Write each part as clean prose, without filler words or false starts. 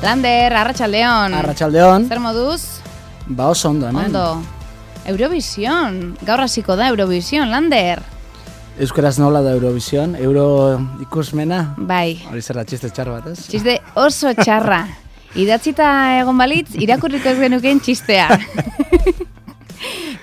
Lander, arratsaldeon. Arratsaldeon. Zer moduz? Ba oso ondo hemen. Ondo. Eurovision. Gaur hasiko da Eurovision, Lander. Euskaraz nola da Eurovision? Euro ikusmena? Bai. Hori zer da, txiste txar bat, ez? Txiste oso txarra. Idatzita egon balitz, irakurriko ez genukeen txistea.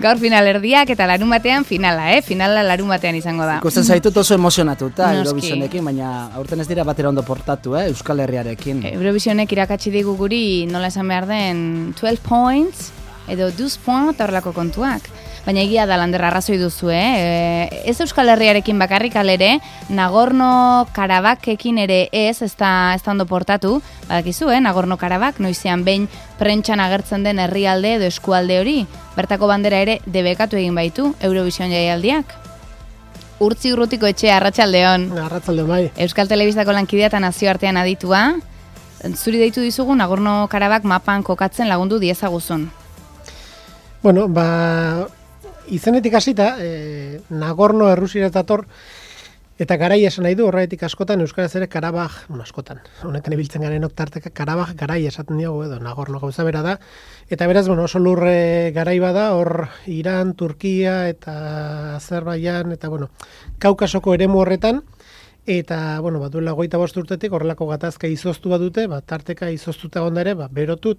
Gaur finalerdiak eta larumatean finala, Finala larumatean izango da. Ikusten zaitut oso emozionatuta Eurovisionekin, baina aurten ez dira batera ondo portatu, Euskal Herriarekin. Eurovisionek irakatsi digu guri nola esan behar den 12 points edo 12 points eta horrelako kontuak. Baina egia da, Lander, arrazoi duzu, Ez Euskal Herriarekin bakarrik alere, Nagorno-Karabakekin ere ez da ondo portatu. Badakizu, Nagorno-Karabak, noizean behin prentxan agertzen den herrialde edo eskualde hori. Bertako bandera ere debekatu egin baitu, Eurovision jaialdiak. Urtzi Urrutiko etxea, arratsaldeon. Arratsaldeon, bai. Euskal Telebistako lankidea eta nazioartean aditua. Zuri deitu dizugu Nagorno-Karabak mapan kokatzen lagundu diezaguzun. Bueno, izenetik hasita, Nagorno Errusiara dator, eta garai esan nahi du, horretik askotan, euskaraz ere Karabaj, askotan, honetan ibiltzen garenok tarteka, Karabaj garai esaten diogu edo, Nagorno gauza bera da, eta beraz, oso lurre garai bada, hor Iran, Turkia, eta Azerbaijan, eta Kaukasoko eremu horretan, eta, duela 25 urtetik horrelako gatazka izoztu badute, tarteka izoztuta gondare, berotu,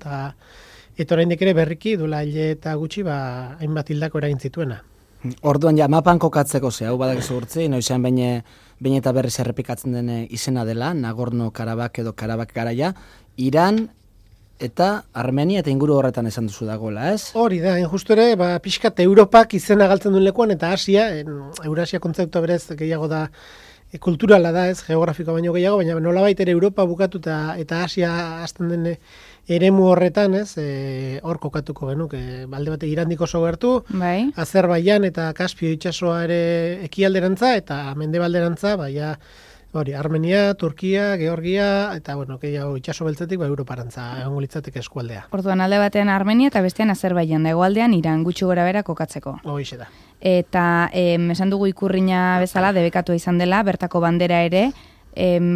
eta oraindik ere berriki duela hile eta gutxi hainbat hildako eragin zituena. Orduan ja mapan kokatzeko hau badakizu Urtzi, noizean behin eta berriz errepikatzen den izena dela, Nagorno-Karabak edo Karabak garaia, Iran eta Armenia eta inguru horretan esan duzu dagoela, ez? Hori da, justu ere, pixkat Europak izena galtzen duen lekuan, eta Asia, Eurasia kontzeptua berez gehiago da, kulturala da, ez, geografiko baino gehiago, baina nolabait ere Europa bukatu eta Asia hasten den eremu horretan, ez, hor kokatuko genuk, balde bate Irandik oso gertu, bai. Azerbaijan eta Kaspio itsasoa ere ekialderantza eta mendebalderantza, Armenia, Turkia, Georgia, eta gehiago itsaso beltzetik Europarantza egongo litzateke eskualdea. Orduan alde batean Armenia eta bestean Azerbaijan, da hegoaldean Iran gutxi gorabehera kokatzeko. Horixe da. Eta esan dugu ikurrina bezala debekatu izan dela, bertako bandera ere,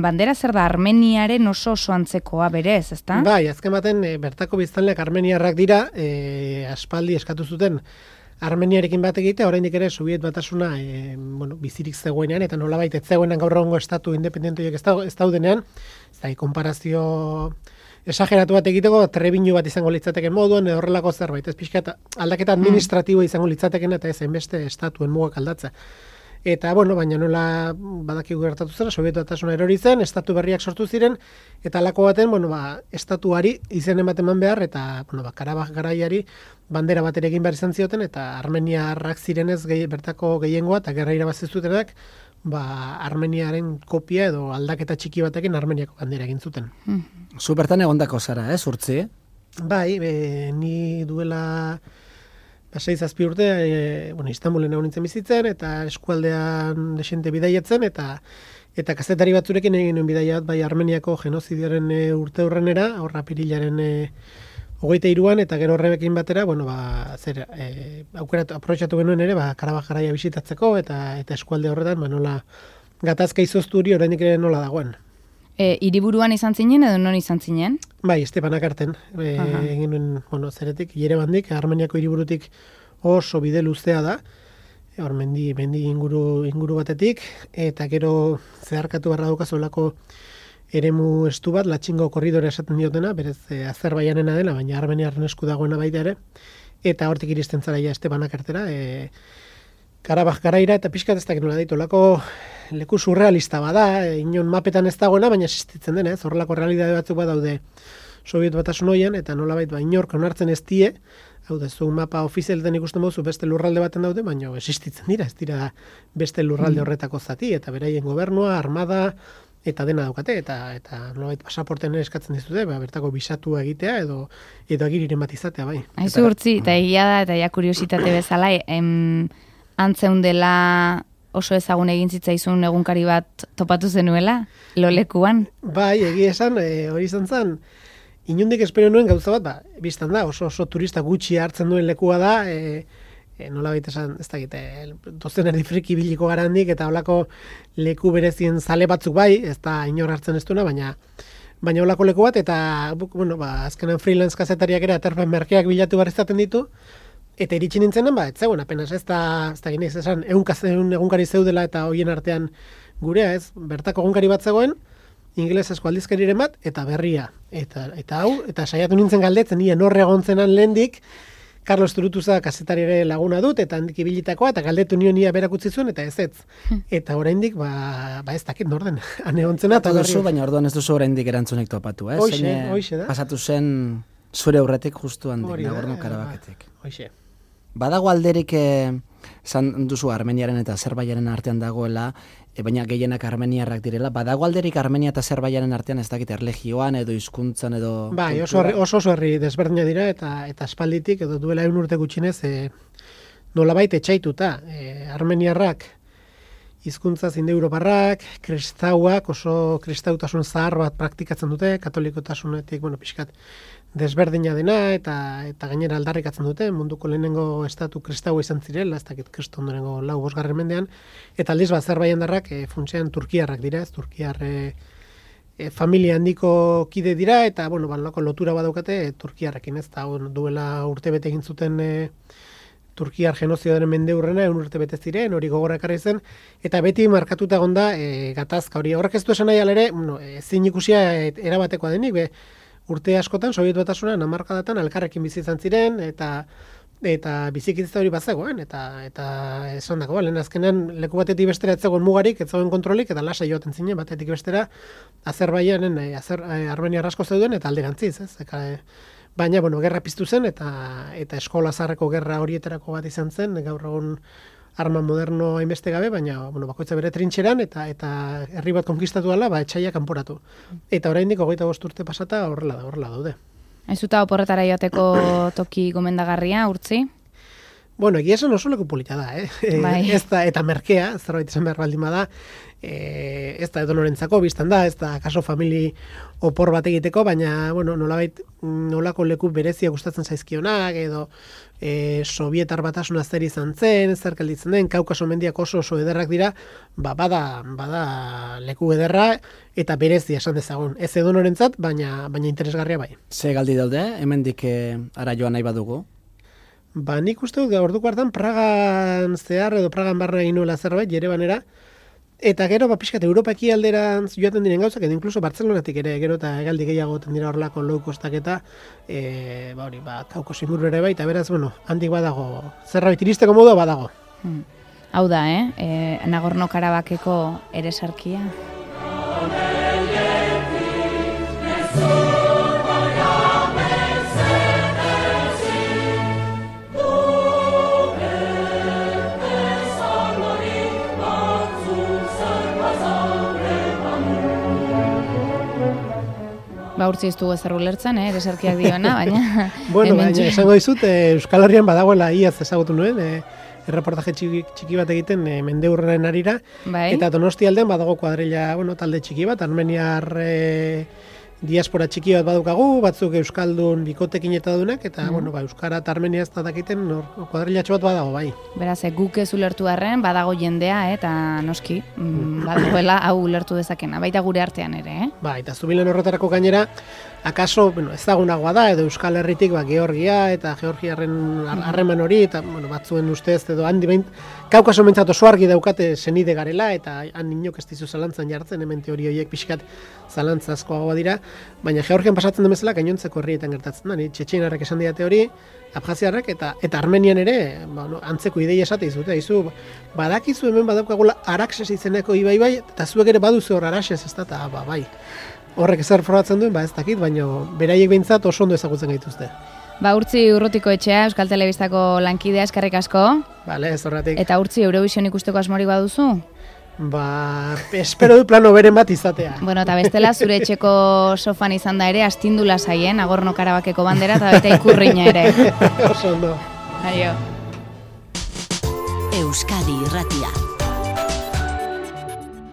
bandera zer da Armeniaren oso antzekoa berez, ezta? Bai, azken baten bertako biztanleak armeniarrak dira, aspaldi eskatu zuten Armeniarekin bat egitea, oraindik ere Sobiet Batasuna bizirik zegoenean, eta nolabait ez zegoenan gaur egungo estatu independentoiek ez daudenean, ez da, konparazio esageratu bat egiteko, trebinu bat izango litzateken moduan, horrelako zerbait, ez pixka aldaketa administratiboa izango litzateken, eta ez hainbeste estatuen mugak aldatza. Eta, baina nola badakigu gertatu zera, Sobietu Batasuna erori zen, estatu berriak sortu ziren, eta halako baten, estatuari izen ematen eman behar, eta, Karabaj garaiari bandera bat ere egin behar izan zioten, eta Armeniarrak zirenez bertako gehiengoa, eta gerra irabazi zutenak, Armeniaren kopia edo aldaketa txiki batekin Armeniako bandera egin zuten. Zu bertan egondako zara, Urtzi? Bai, ni duela 6-7 urte, Istanbulen egon nintzen bizitzen, eta eskualdean desente bidaietzen, eta kazetari batzurekin egin nuen bidaiat, bai Armeniako genozidioaren urte hurrenera, horra Apirilaren 23an, eta gero horrekin batera, aprobetxatu genuen ere, Karabaj garaia bisitatzeko, eta eskualde horretan, nola gatazka izoztu hori oraindik ere nola dagoen. Hiriburuan izan zinen edo non izan zinen? Bai, Estepanak arten, egin nuen, zeretik, Yerevandik, Armeniako hiriburutik oso bide luzea da, hor mendi inguru batetik, eta gero zeharkatu barra daukazuelako eremu estu bat, Latxingo korridore esaten diotena, berez Azerbaijanena dela, baina Armeniaren esku dagoena baita ere, eta hortik iristen zara ja Estepanak artera, Karabaj garaira, eta pixkat ez dakit nola ditu, leku surrealista bada, inon mapetan ez dagoena, baina existitzen den, horrelako realidade batzuk badaude Sobiet Batasun hoian, eta nolabait inork onartzen ez die, hau da, zu mapa ofizialetan ikusten baduzu beste lurralde baten daude, baina existitzen dira, ez dira beste lurralde horretako zati, eta beraien gobernua, armada, eta dena daukate, eta nolabait pasaporten ere eskatzen dizute, bertako bisatua egitea, edo agiriren bat izatea, bai. Aizu Urtzi, eta egia da, eta ja kuriositate bezala, antzeun dela oso ezagun egin zitzaizun egunkari bat topatu zenuela, lolekuan? Bai, egia esan, hori izan zen, inundik espero nuen gauza bat, biztan da, oso turista gutxi hartzen duen lekua da, nola baita esan, ez dakit, dozen erdifriki biliko garandik, eta holako leku berezien zale batzuk bai, ez da inor hartzen ez duena, baina baina olako leku bat, eta, bueno, azkenan freelance kazetariak ere aterpen merkeak bilatu behar izaten ditu, eta iritsi nintzenen, ez zegoen, apenas, ez da ginez, esan, ehun egunkari zeudela eta hoien artean gurea, ez, bertako egunkari bat zegoen, ingelesezko aldizkariren bat, eta berria, eta hau, eta saiatu nintzen galdetzen, nien horre egontzenan lehendik, Carlos Turutuza kazetariare laguna dut, eta handik ibilitakoa, eta galdetu nia berak utzi zuen, eta ez. Eta oraindik, ez dakit norden, ane ontzena, eta duzu, baina orduan ez duzu oraindik erantzunek topatu, ez? Hoixe da. Pasatu zen zure aurretik justu handik, Nagorno-Karabaketik. Hoixe. Badago alderik, esan duzu Armeniaren eta Azerbaijanen artean dagoela, baina gehienak armeniarrak direla, badago alderik Armenia eta Azerbaijanen artean ez dakit erlegioan edo hizkuntzan edo... Bai, oso herri desberdina dira eta espalditik edo duela 100 urte gutxinez nolabait etxaituta. Armeniarrak hizkuntza indoeuroparrak, kristauak oso kristautasun zahar bat praktikatzen dute, katolikotasunetik, pixkat desberdina dena eta gainera aldarrikatzen dute, munduko lehenengo estatu kristaua izan zirela, ez dakit kristo ondorengo 4-5 mendean, eta aldiz Azerbaijandarrak funtsean turkiarrak dira, ez turkiar familia handiko kide dira, eta balako lotura badaukate turkiarrekin, ez da duela urtebete egin zuten turkiar genozidioaren mendeurrena, 100 urte bete ziren, hori gogora ekarri zen, eta beti markatuta egonda gatazka hori. Horrek ez du esan nahi alere, ezin ikusia erabatekoa denik, urte askotan, Sobietu Batasunean, hamarkadatan elkarrekin bizi izan ziren, eta bizikidetza hori bazegoen, eta esan dago, lehen azkenean leku batetik bestera ez zegoen mugarik, ez zegoen kontrolik, eta lasai joaten zinen, batetik bestera, Azerbaijanen, Armeniar asko zeuden, eta alderantziz, ez? Baina, gerra piztu zen, eta eskola zaharreko gerra horietarako bat izan zen, gaur egun arma moderno hainbeste gabe, baina bakoitza bere trintxeran, eta herri bat konkistatu dela, etxaiak kanporatu. Eta oraindik 25 urte pasata horrela daude. Ez zuta oporretara joateko toki gomendagarria, Urtzi? Egia esan oso leku polita da, Bai. Eta merkea, zerbait izan behar baldin bada, ez da edonorentzako biztan da, ez da kaso famili opor bat egiteko, baina, nolabait, nolako leku berezia gustatzen zaizkionak, edo Sovietar Batasuna zer izan zen, zer gelditzen den, Kaukaso mendiak oso ederrak dira, bada leku ederra, eta berezia esan dezagun. Ez edonorentzat, baina interesgarria bai. Ze galdi daude, hemendik ara joan nahi badugu? Nik uste dut, orduko hartan Pragan zehar edo Pragan barna egin nuela zerbait, Jerevanera, eta gero, pixkat, Europa ekialderantz joaten diren gauzak, edo inkluso Bartzelonatik ere, gero eta egaldi gehiago dira horrelako low costak eta, Kaukos inguru ere bai, eta beraz, handik badago, zerbait iristeko modu badago. Hau da, Nagorno-Karabakeko eresarkia. Urtzi ez dugu ezer ulertzen, eresarkiak dioena, baina... Baina esango dizut, Euskal Herrian badagoela iaz ezagutu nuen, erreportaje txiki bat egiten mendeurren arira, eta Donosti aldean badago kuadrilla, talde txiki bat, armeniar diaspora txiki bat badukagu, batzuk euskaldun bikotekin eta dunak, eta euskara eta armenia ez da dakiten kuadrillatxo bat badago, bai. Beraz, guk ez ulertu arren, badago jendea, eta noski, badagoela hau ulertu dezakena, baita gure artean ere, eta zubilen horretarako gainera, akaso, ezagunagoa da, edo Euskal Herritik, Georgia eta Georgiarren harreman hori, eta batzuen ustez, edo handi behin, Kaukaso mentzat oso argi daukate senide garela, eta han inok ez dizu zalantzan jartzen, hemen teori horiek pixkat zalantzazkoagoa dira, baina Georgian pasatzen den bezala gainontzeko herrietan gertatzen da, txetxeinarrek esan diate hori, Abjaziarrek eta Armenian ere, antzeko ideia esate izute, badakizu hemen badaukagula Araxes izeneko ibai bai, eta zuek ere baduzu hor Araxes, ez da, eta bai. Horrek zer frogatzen duen, ez dakit, baina beraiek behintzat oso ondo ezagutzen gaituzte. Urtzi Urrutiko etxea, Euskal Telebistako lankidea, eskerrik asko. Bale, ez horretik. Eta Urtzi, Eurovision ikusteko asmorik baduzu? Espero du plano beren bat izatea. Eta bestela, zure etxeko sofan izan da ere, astindu lasaien, Nagorno-Karabakeko bandera, eta bete ikurriña ere. Oso ondo. Aio. Euskadi Irratia.